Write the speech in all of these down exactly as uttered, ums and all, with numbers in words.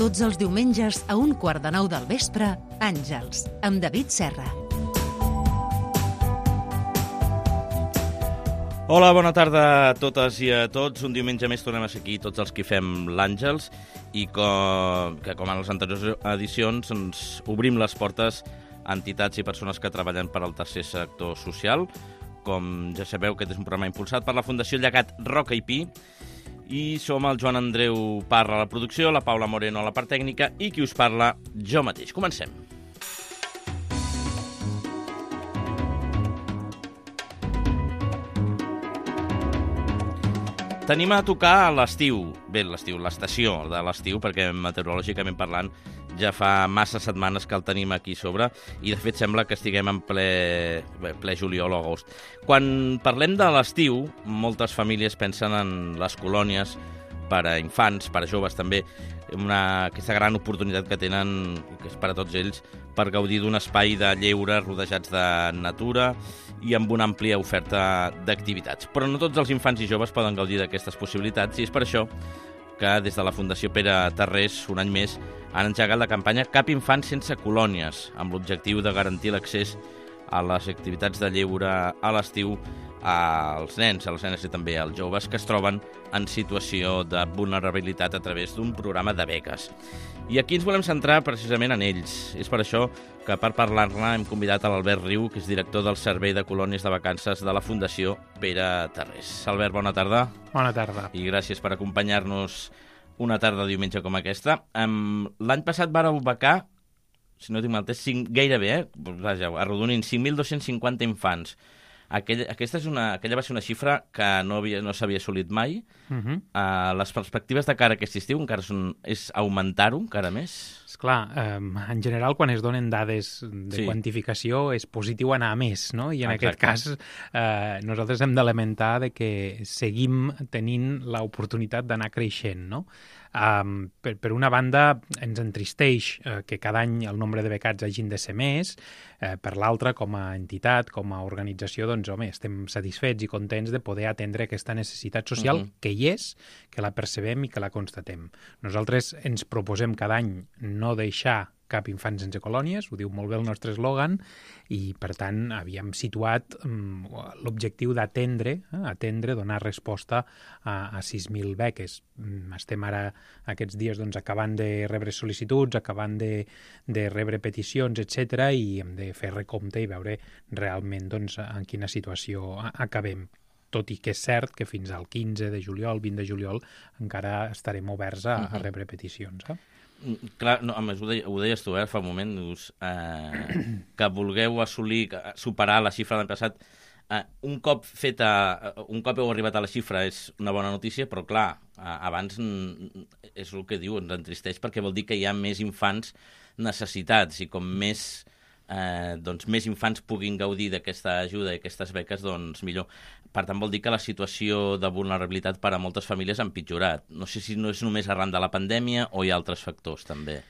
Tots els diumenges a un quart de nou del vespre, Àngels, amb David Serra. Hola, bona tarda a totes i a tots. Un diumenge més tornem a ser aquí tots els que fem l'Àngels i com, que, com en les anteriors edicions ens obrim les portes a entitats i persones que treballen per al tercer sector social. Com ja sabeu, aquest és un programa impulsat per la Fundació Llegat Roca i Pi i som el Joan Andreu Parra a la producció, la Paula Moreno a la part tècnica i qui us parla, jo mateix. Comencem. Tenim a tocar a l'estiu, bé, l'estiu, l'estació de l'estiu, perquè meteorològicament parlant ja fa massa setmanes que el tenim aquí sobre i de fet sembla que estiguem en ple, ple juliol o agost. Quan parlem de l'estiu, moltes famílies pensen en les colònies per a infants, per a joves també, una, aquesta gran oportunitat que tenen, que és per a tots ells, per gaudir d'un espai de lleure rodejats de natura i amb una àmplia oferta d'activitats. Però no tots els infants i joves poden gaudir d'aquestes possibilitats i és per això que des de la Fundació Pere Tarrés, un any més, han engegat la campanya Cap infant sense colònies, amb l'objectiu de garantir l'accés a les activitats de lleure a l'estiu als nens, a les nenes i també als joves que es troben en situació de vulnerabilitat a través d'un programa de beques. I aquí ens volem centrar precisament en ells. És per això que per parlar-ne hem convidat a l'Albert Riu, que és director del Servei de Colònies de Vacances de la Fundació Pere Tarrés. Albert, bona tarda. Bona tarda. I gràcies per acompanyar-nos una tarda de diumenge com aquesta. Um, L'any passat vareu becar, si no tinc mal entès, cinc, gairebé, eh? Vaja, arrodonint, cinc mil dos-cents cinquanta infants. Aquella, aquesta és una, aquella va ser una xifra que no, havia, no s'havia assolit mai. Uh -huh. uh, les perspectives de cara a aquest estiu encara són, és augmentar-ho encara més? Esclar, eh, en general, quan es donen dades de sí. quantificació, és positiu anar a més, no? I en Exacte. Aquest cas, eh, nosaltres hem de lamentar de que seguim tenint l'oportunitat d'anar creixent, no? Um, per, per una banda, ens entristeix eh, que cada any el nombre de becats hagin de ser més, eh, per l'altra, com a entitat, com a organització, doncs, home, estem satisfets i contents de poder atendre aquesta necessitat social uh-huh. que hi és, que la percebem i que la constatem. Nosaltres ens proposem cada any no deixar cap infant sense colònies, ho diu molt bé el nostre eslògan, i per tant havíem situat um, l'objectiu d'atendre, eh, atendre, donar resposta a, a sis mil beques. Um, estem ara aquests dies doncs, acabant de rebre sol·licituds, acabant de, de rebre peticions, etcètera, i hem de fer recompte i veure realment doncs, en quina situació acabem. Tot i que és cert que fins al quinze de juliol, vint de juliol, encara estarem oberts a, a rebre peticions, eh? Clar, no, a més, ho, deia, ho deies tu, eh, fa un moment, dius, eh, que vulgueu assolir, superar la xifra de l'any passat. Eh, un cop feta, un cop heu arribat a la xifra és una bona notícia, però clar, eh, abans és el que diu, ens entristeix perquè vol dir que hi ha més infants necessitats i com més, eh, doncs, més infants puguin gaudir d'aquesta ajuda i aquestes beques, doncs millor. Per tant, vol dir que la situació de vulnerabilitat per a moltes famílies ha empitjorat. No sé si no és només arran de la pandèmia o hi ha altres factors, també.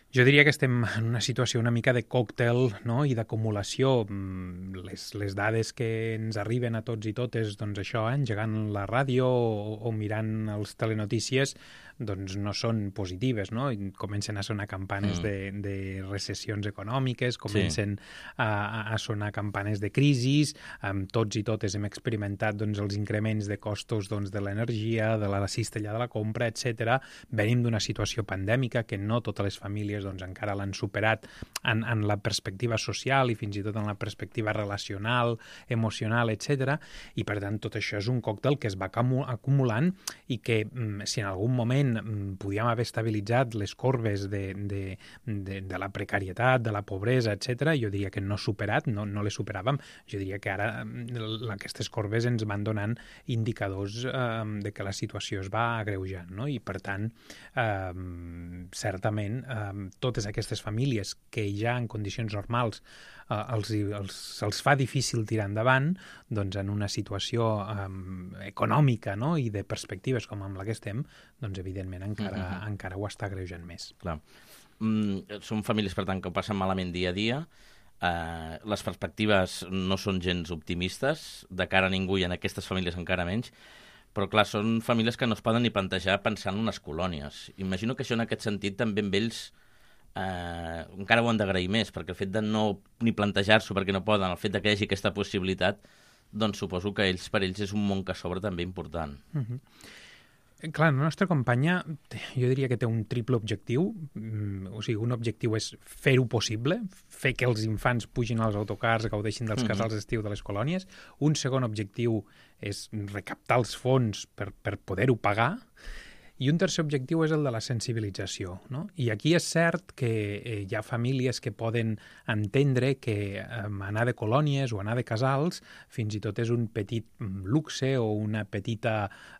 Jo diria que estem en una situació una mica de còctel, no? I d'acumulació. Les, les dades que ens arriben a tots i totes, doncs això, eh? engegant la ràdio o, o mirant els telenotícies, doncs no són positives, no? I comencen a sonar campanes mm. de, de recessions econòmiques, comencen sí. a, a sonar campanes de crisis, amb tots i totes hem experimentat doncs, els increments de costos doncs, de l'energia, de la cistella de la compra, etcètera. Venim d'una situació pandèmica que no totes les famílies doncs, encara l'han superat en, en la perspectiva social i fins i tot en la perspectiva relacional, emocional, etcètera. I per tant tot això és un còctel que es va acumulant i que si en algun moment podíem haver estabilitzat les corbes de, de, de, de la precarietat, de la pobresa, etcètera, jo diria que no superat, no, no les superàvem. Jo diria que ara aquestes corbes ens van donant indicadors eh, de que la situació es va agreujant, no? I per tant, eh, certament, eh, totes aquestes famílies que ja en condicions normals eh, els, els, els fa difícil tirar endavant, doncs en una situació eh, econòmica, no? I de perspectives com amb la que estem, doncs evidentment encara, uh-huh. encara ho està agreujant més. Clar. Mm, són famílies, per tant, que ho passen malament dia a dia. Eh, les perspectives no són gens optimistes, de cara a ningú i en aquestes famílies encara menys. Però, clar, són famílies que no es poden ni plantejar pensar en unes colònies. Imagino que això, en aquest sentit, també amb ells eh, encara ho han d'agrair més, perquè el fet de no ni plantejar-s'ho perquè no poden, el fet de que hi hagi aquesta possibilitat, doncs suposo que ells, per ells és un món que s'obre també important. Uh-huh. Clar, la nostra campanya, jo diria que té un triple objectiu. O sigui, un objectiu és fer-ho possible, fer que els infants pugin als autocars, gaudeixin dels casals d'estiu de les colònies. Un segon objectiu és recaptar els fons per, per poder-ho pagar. I un tercer objectiu és el de la sensibilització, no? I aquí és cert que eh, hi ha famílies que poden entendre que eh, anar de colònies o anar de casals fins i tot és un petit luxe o una petita,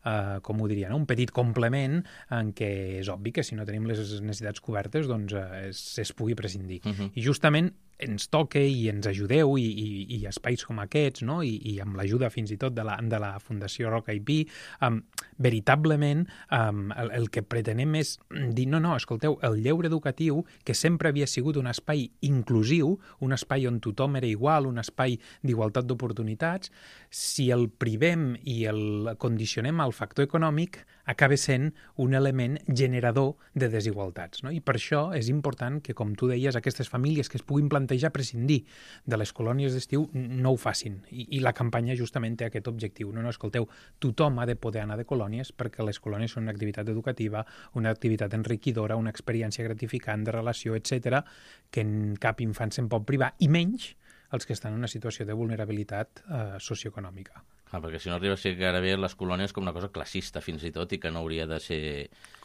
eh, com ho diria, no? Un petit complement en què és obvi que si no tenim les necessitats cobertes doncs eh, es, es pugui prescindir. Uh-huh. I justament ens toca i ens ajudeu i, i, i espais com aquests, no? I, i amb l'ajuda fins i tot de la, de la Fundació Roca i Pi, um, veritablement um, el, el que pretenem és dir, no, no, escolteu, el lleure educatiu, que sempre havia sigut un espai inclusiu, un espai on tothom era igual, un espai d'igualtat d'oportunitats, si el privem i el condicionem al factor econòmic, acaba sent un element generador de desigualtats, no? I per això és important que, com tu deies, aquestes famílies que es puguin plantejar prescindir de les colònies d'estiu no ho facin. I, i la campanya justament té aquest objectiu. No, no, escolteu, tothom ha de poder anar de colònies perquè les colònies són una activitat educativa, una activitat enriquidora, una experiència gratificant de relació, etcètera, que en cap infant se'n pot privar, i menys els que estan en una situació de vulnerabilitat eh, socioeconòmica. Ah, perquè si no arriba a ser gairebé les colònies com una cosa classista, fins i tot, i que no hauria de ser...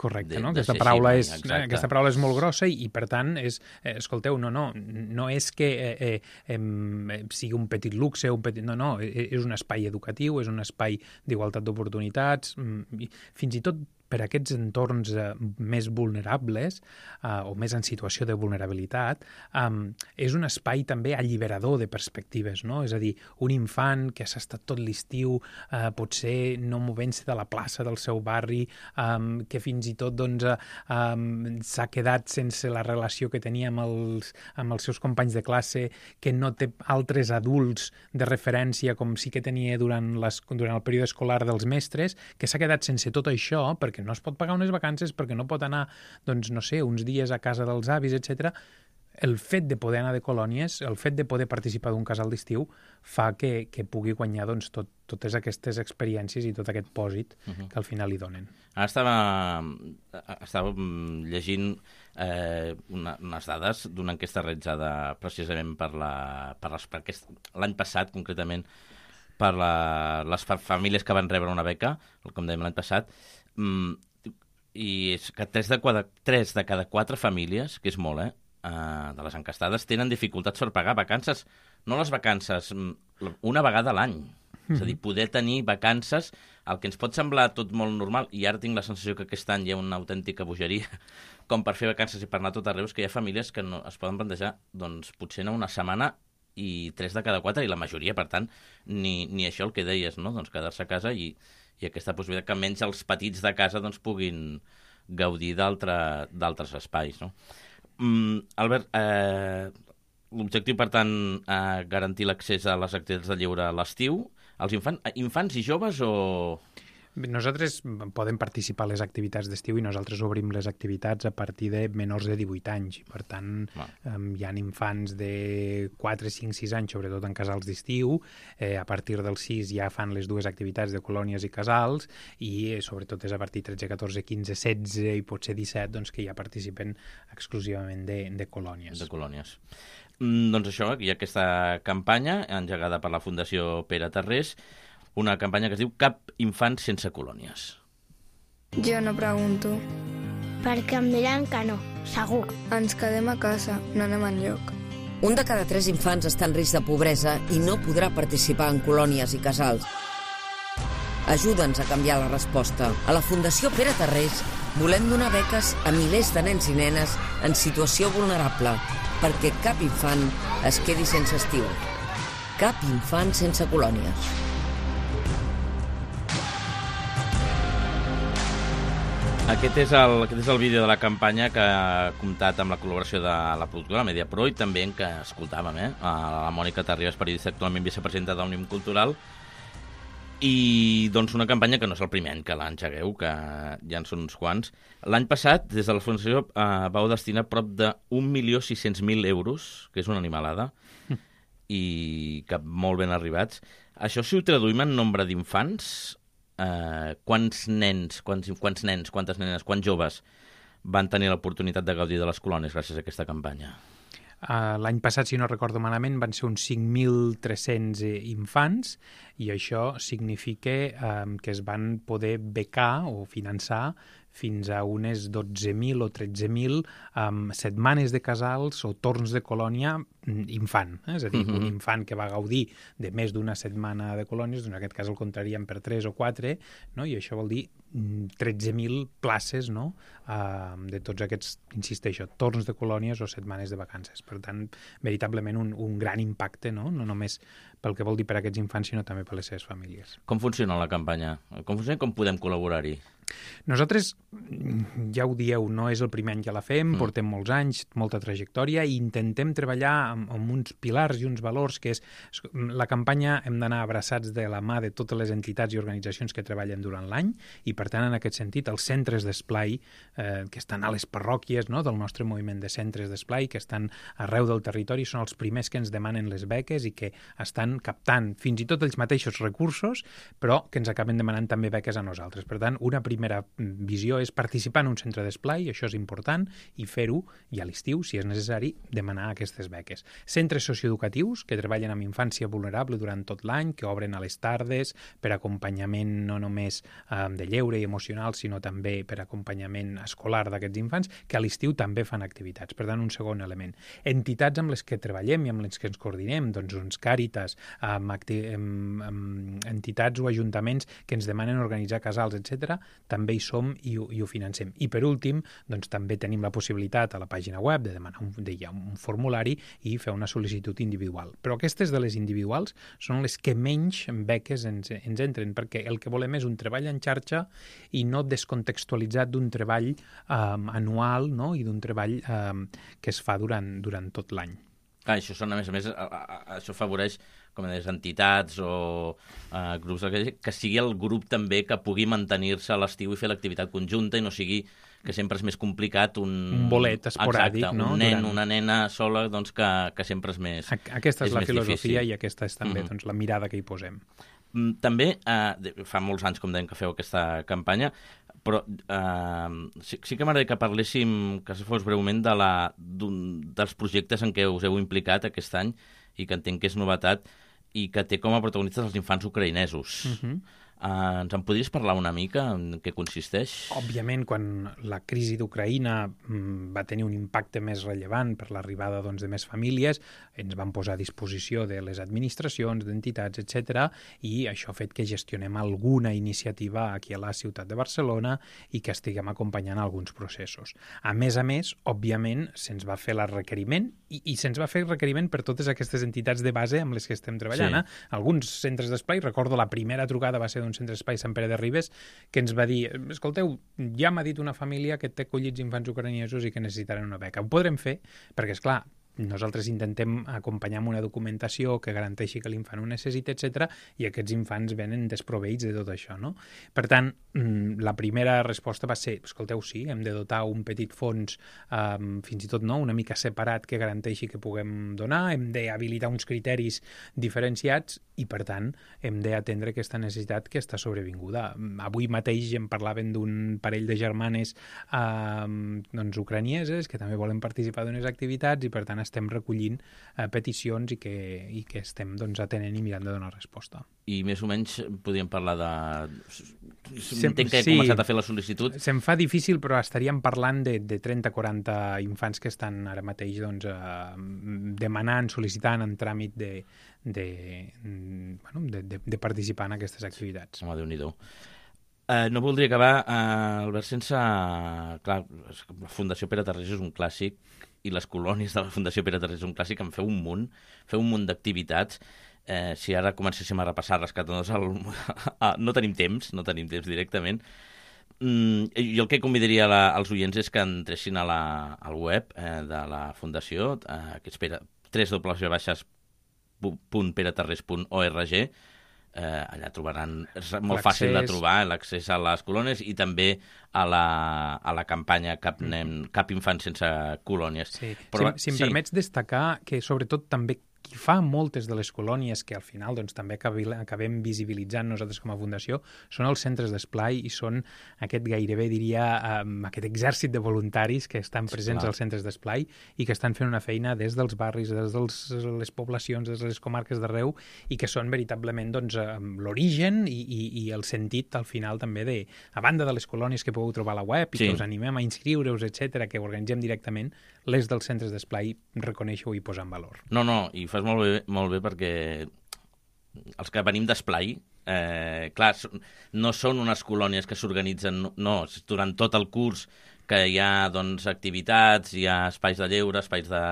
Correcte, de, no? De aquesta, paraula així, és, exacte. Aquesta paraula és molt grossa i, i per tant, és, eh, escolteu, no, no, no és que eh, eh, eh, sigui un petit luxe, un petit, no, no, és un espai educatiu, és un espai d'igualtat d'oportunitats, fins i tot per aquests entorns eh, més vulnerables eh, o més en situació de vulnerabilitat, eh, és un espai també alliberador de perspectives, no? És a dir, un infant que s'ha estat tot l'estiu eh, potser no movent-se de la plaça del seu barri, eh, que fins i tot doncs, eh, s'ha quedat sense la relació que tenia amb els, amb els seus companys de classe, que no té altres adults de referència com sí que tenia durant, les, durant el període escolar dels mestres, que s'ha quedat sense tot això perquè no es pot pagar unes vacances, perquè no pot anar, doncs, no sé, uns dies a casa dels avis, etcètera. El fet de poder anar de colònies, el fet de poder participar d'un casal d'estiu, fa que, que pugui guanyar doncs, tot, totes aquestes experiències i tot aquest pòsit uh-huh. que al final li donen. Ara estava, estava llegint eh, una, unes dades d'una enquesta realitzada precisament per la, per les, per aquest, l'any passat, concretament, per la, les famílies que van rebre una beca, com dèiem l'any passat, Mm, i és que tres de, cada, tres de cada quatre famílies, que és molt, eh, uh, de les encastades, tenen dificultats per pagar vacances, no les vacances, una vegada a l'any. Mm-hmm. És a dir, poder tenir vacances, el que ens pot semblar tot molt normal, i ara tinc la sensació que aquest any hi ha una autèntica bogeria, com per fer vacances i per anar tot arreu, és que hi ha famílies que no, es poden plantejar, doncs, potser anar una setmana i tres de cada quatre, i la majoria, per tant, ni, ni això el que deies, no? Doncs quedar-se a casa i i aquesta possibilitat que almenys els petits de casa doncs, puguin gaudir d'altres espais. No? Mm, Albert, eh, l'objectiu, per tant, eh, garantir l'accés a les activitats de lleure a l'estiu. Els infants, infants i joves o... Nosaltres podem participar a les activitats d'estiu i nosaltres obrim les activitats a partir de menors de divuit anys. Per tant, ah. um, hi ha infants de quatre, cinc, sis anys, sobretot en casals d'estiu. Eh, a partir dels sis ja fan les dues activitats de colònies i casals i eh, sobretot és a partir de tretze, catorze, quinze, setze i potser disset doncs, que ja participen exclusivament de, de colònies. De colònies. Mm, doncs això, hi ha aquesta campanya engegada per la Fundació Pere Tarrés, una campanya que es diu Cap infant sense colònies. Jo no pregunto. Perquè em diran que no, segur. Ens quedem a casa, no anem enlloc. Un de cada tres infants està en risc de pobresa i no podrà participar en colònies i casals. Ajuda'ns a canviar la resposta. A la Fundació Pere Tarrés volem donar beques a milers de nens i nenes en situació vulnerable perquè cap infant es quedi sense estiu. Cap infant sense colònies. Aquest és, el, aquest és el vídeo de la campanya que ha comptat amb la col·laboració de la productora Mediapro i també en què escoltàvem eh, a la Mònica Terribas, periodista actualment vicepresidenta d'Òmnium Cultural, I doncs una campanya que no és el primer any que l'engegueu, que ja en són uns quants. L'any passat, des de la Fundació, eh, vau destinar prop d'un milió sis-cents mil euros, que és una animalada, mm. i que molt ben arribats. Això, si ho traduïm en nombre d'infants, eh, quants nens, quants, quants nens, quantes nenes, quants joves van tenir l'oportunitat de gaudir de les colònies gràcies a aquesta campanya? Uh, L'any passat, si no recordo malament, van ser uns cinc mil tres-cents infants i això significa um, que es van poder becar o finançar fins a unes dotze mil o tretze mil um, setmanes de casals o torns de colònia infant. Eh? És a dir, uh-huh. un infant que va gaudir de més d'una setmana de colònies, en aquest cas el contraríem per tres o quatre, no? I això vol dir tretze mil places, no? uh, de tots aquests, insisteixo, torns de colònies o setmanes de vacances. Per tant, veritablement un, un gran impacte, no? No només pel que vol dir per a aquests infants, sinó també per les seves famílies. Com funciona la campanya? Com funciona i com podem col·laborar-hi? Nosaltres, ja ho dieu, no és el primer any que la fem, mm. portem molts anys, molta trajectòria, i intentem treballar amb, amb uns pilars i uns valors que és... La campanya hem d'anar abraçats de la mà de totes les entitats i organitzacions que treballen durant l'any, i per tant, en aquest sentit, els centres d'esplai eh, que estan a les parròquies, no?, del nostre moviment de centres d'esplai, que estan arreu del territori, són els primers que ens demanen les beques i que estan captant fins i tot els mateixos recursos, però que ens acaben demanant també beques a nosaltres. Per tant, una primera visió és participar en un centre d'esplai, això és important, i fer-ho, i a l'estiu, si és necessari, demanar aquestes beques. Centres socioeducatius que treballen amb infància vulnerable durant tot l'any, que obren a les tardes per acompanyament no només eh, de lleure i emocional, sinó també per acompanyament escolar d'aquests infants, que a l'estiu també fan activitats. Per tant, un segon element. Entitats amb les que treballem i amb les que ens coordinem, doncs uns Càritas, amb, amb, amb entitats o ajuntaments que ens demanen organitzar casals, etcètera, també hi som i ho, i ho financem. I per últim, doncs també tenim la possibilitat a la pàgina web de demanar un, de, ja, un formulari i fer una sol·licitud individual. Però aquestes de les individuals són les que menys beques ens, ens entren, perquè el que volem és un treball en xarxa i no descontextualitzat d'un treball um, anual, no?, i d'un treball um, que es fa durant, durant tot l'any. Ah, això són, a més a més, a, a, a, això afavoreix, com deies, entitats o uh, grups, que sigui el grup també que pugui mantenir-se a l'estiu i fer l'activitat conjunta i no sigui que sempre és més complicat un... Un bolet esporàdic, exacte, no? un nen, Durant... una nena sola, doncs que, que sempre és més Aquesta és, és la filosofia difícil. I aquesta és també mm-hmm. doncs, la mirada que hi posem. També, eh, fa molts anys, com dèiem, que feu aquesta campanya, però eh, sí, sí que m'agradaria que parléssim, que se fos breument, de la, dels projectes en què us heu implicat aquest any i que entenc que és novetat i que té com a protagonistes els infants ucraïnesos. Uh-huh. Uh, ens en podries parlar una mica en què consisteix? Òbviament, quan la crisi d'Ucraïna mm, va tenir un impacte més rellevant per l'arribada doncs, de més famílies, ens van posar a disposició de les administracions, d'entitats, etcètera, i això ha fet que gestionem alguna iniciativa aquí a la ciutat de Barcelona i que estiguem acompanyant alguns processos. A més a més, òbviament, se'ns va fer el requeriment i, i se'ns va fer el requeriment per totes aquestes entitats de base amb les que estem treballant. Sí. Eh? Alguns centres d'esplai, recordo la primera trucada va ser un centre d'esplai Sant Pere de Ribes, que ens va dir, escolteu, ja m'ha dit una família que té acollits infants ucraïnesos i que necessitaran una beca. Ho podrem fer, perquè, és clar, nosaltres intentem acompanyar amb una documentació que garanteixi que l'infant ho necessita, etcètera, i aquests infants venen desproveïts de tot això, no? Per tant, la primera resposta va ser, escolteu, sí, hem de dotar un petit fons, um, fins i tot no, una mica separat, que garanteixi que puguem donar, hem d'habilitar uns criteris diferenciats i, per tant, hem d'atendre aquesta necessitat que està sobrevinguda. Avui mateix em parlaven d'un parell de germanes um, doncs, ucranieses que també volen participar d'unes activitats i, per tant, estem recollint eh, peticions i que, i que estem doncs, atenent i mirant de donar resposta. I més o menys podríem parlar de... Sem Entenc que he sí, començat a fer la sol·licitud. Se'm fa difícil, però estaríem parlant de, de trenta a quaranta infants que estan ara mateix doncs, eh, demanant, sol·licitant en tràmit de, de, bueno, de, de, de participar en aquestes activitats. Home, Déu-n'hi-do. Uh, no voldria acabar, uh, Albert, sense... Clar, la Fundació Pere Tarrés és un clàssic i les colònies de la Fundació Pere Tarrés és un clàssic, en feu un munt, feu un munt d'activitats. Eh, si ara comencéssim a repassar rescatadors, el... no tenim temps, no tenim temps directament. Mm, jo el que convidaria la, als oients és que entressin a la, al web eh, de la Fundació, eh, que és w w w punt pere tarrés punt org, eh, allà trobaran, és molt fàcil de trobar l'accés a les colònies i també a la, a la campanya Cap, nen, Cap infant sense colònies. Sí. Però, si si em sí. permets destacar que sobretot també qui fa moltes de les colònies que al final doncs, també acabem visibilitzant nosaltres com a fundació són els centres d'esplai i són aquest gairebé, diria, um, aquest exèrcit de voluntaris que estan presents Clar. als centres d'esplai i que estan fent una feina des dels barris, des de les poblacions, des de les comarques d'arreu i que són veritablement doncs, l'origen i, i, i el sentit al final també de, a banda de les colònies que podeu trobar a la web i sí. que us animem a inscriure-us, etcètera, que organitzem directament, les dels centres d'esplai reconèixer-ho i posar en valor. No, no, i fas molt bé, molt bé perquè els que venim d'esplai, eh, clar, no són unes colònies que s'organitzen, no, durant tot el curs que hi ha doncs, activitats, hi ha espais de lleure, espais de,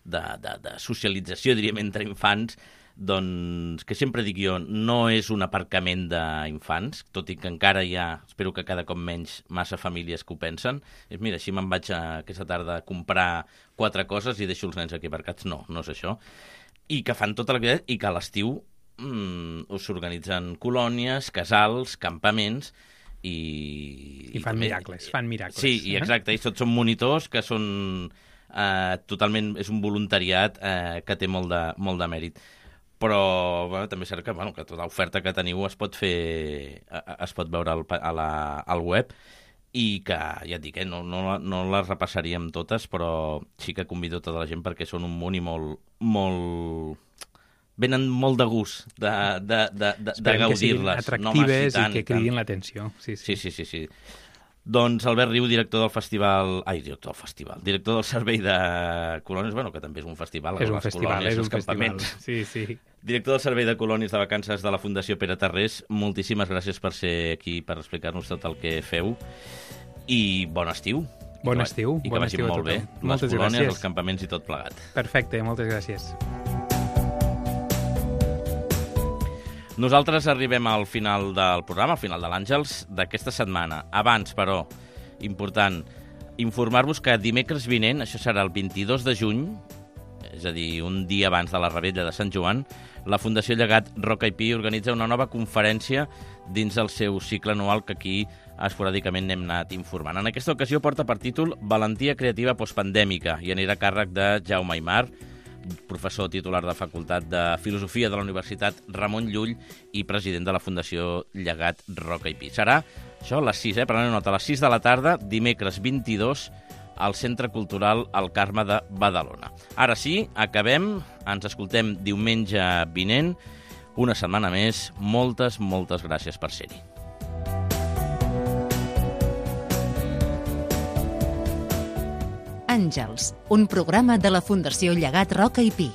de, de, de socialització, diríem, entre infants, doncs, que sempre dic jo, no és un aparcament d'infants, tot i que encara hi ha, espero que cada cop menys, massa famílies que ho pensen. És, mira, així me'n vaig a, aquesta tarda a comprar quatre coses i deixo els nens aquí aparcats. No, no és això. I que fan tota l'activitat i que a l'estiu mmm, us organitzen colònies, casals, campaments i... I fan també, miracles, fan miracles. Sí, i exacte, i tots són monitors que són... Eh, totalment, és un voluntariat eh, que té molt de, molt de mèrit. Però bueno, també és cert que, bueno, que tota l'oferta que teniu es pot fer, es pot veure al, a la, al web i que, ja et dic, eh, no, no, no les repassaríem totes, però sí que convido tota la gent perquè són un munt i molt, molt... venen molt de gust de, de, de, de, de gaudir-les. Atractives no, i que cridin l'atenció. Sí, sí. Sí, sí, sí, sí. Doncs Albert Riu, director del festival... Ai, director del festival. Director del Servei de Colònies, bueno, que també és un festival. És un festival, colònies, és un festival. Sí, sí. Director del Servei de Colònies de Vacances de la Fundació Pere Tarrés, moltíssimes gràcies per ser aquí, per explicar-nos tot el que feu. I bon estiu. Bon estiu. I que bon vagi estiu molt bé. Moltes les colònies, gràcies. Els campaments i tot plegat. Perfecte, moltes gràcies. Nosaltres arribem al final del programa, al final de l'Àngels, d'aquesta setmana. Abans, però, important, informar-vos que dimecres vinent, això serà el vint-i-dos de juny, és a dir, un dia abans de la Revetlla de Sant Joan, la Fundació Llegat Roca i Pi organitza una nova conferència dins el seu cicle anual que aquí esporàdicament n'hem anat informant. En aquesta ocasió porta per títol Valentia creativa postpandèmica i anirà a càrrec de Jaume Aymar, professor titular de Facultat de Filosofia de la Universitat Ramon Llull i president de la Fundació Llegat Roca i Pi. Serà això a les sis, eh? Preneu nota, a les sis de la tarda, dimecres vint-i-dos, al Centre Cultural El Carme de Badalona. Ara sí, acabem, ens escoltem diumenge vinent, una setmana més. Moltes, moltes gràcies per ser-hi. Àngels, un programa de la Fundació Llegat Roca i Pi.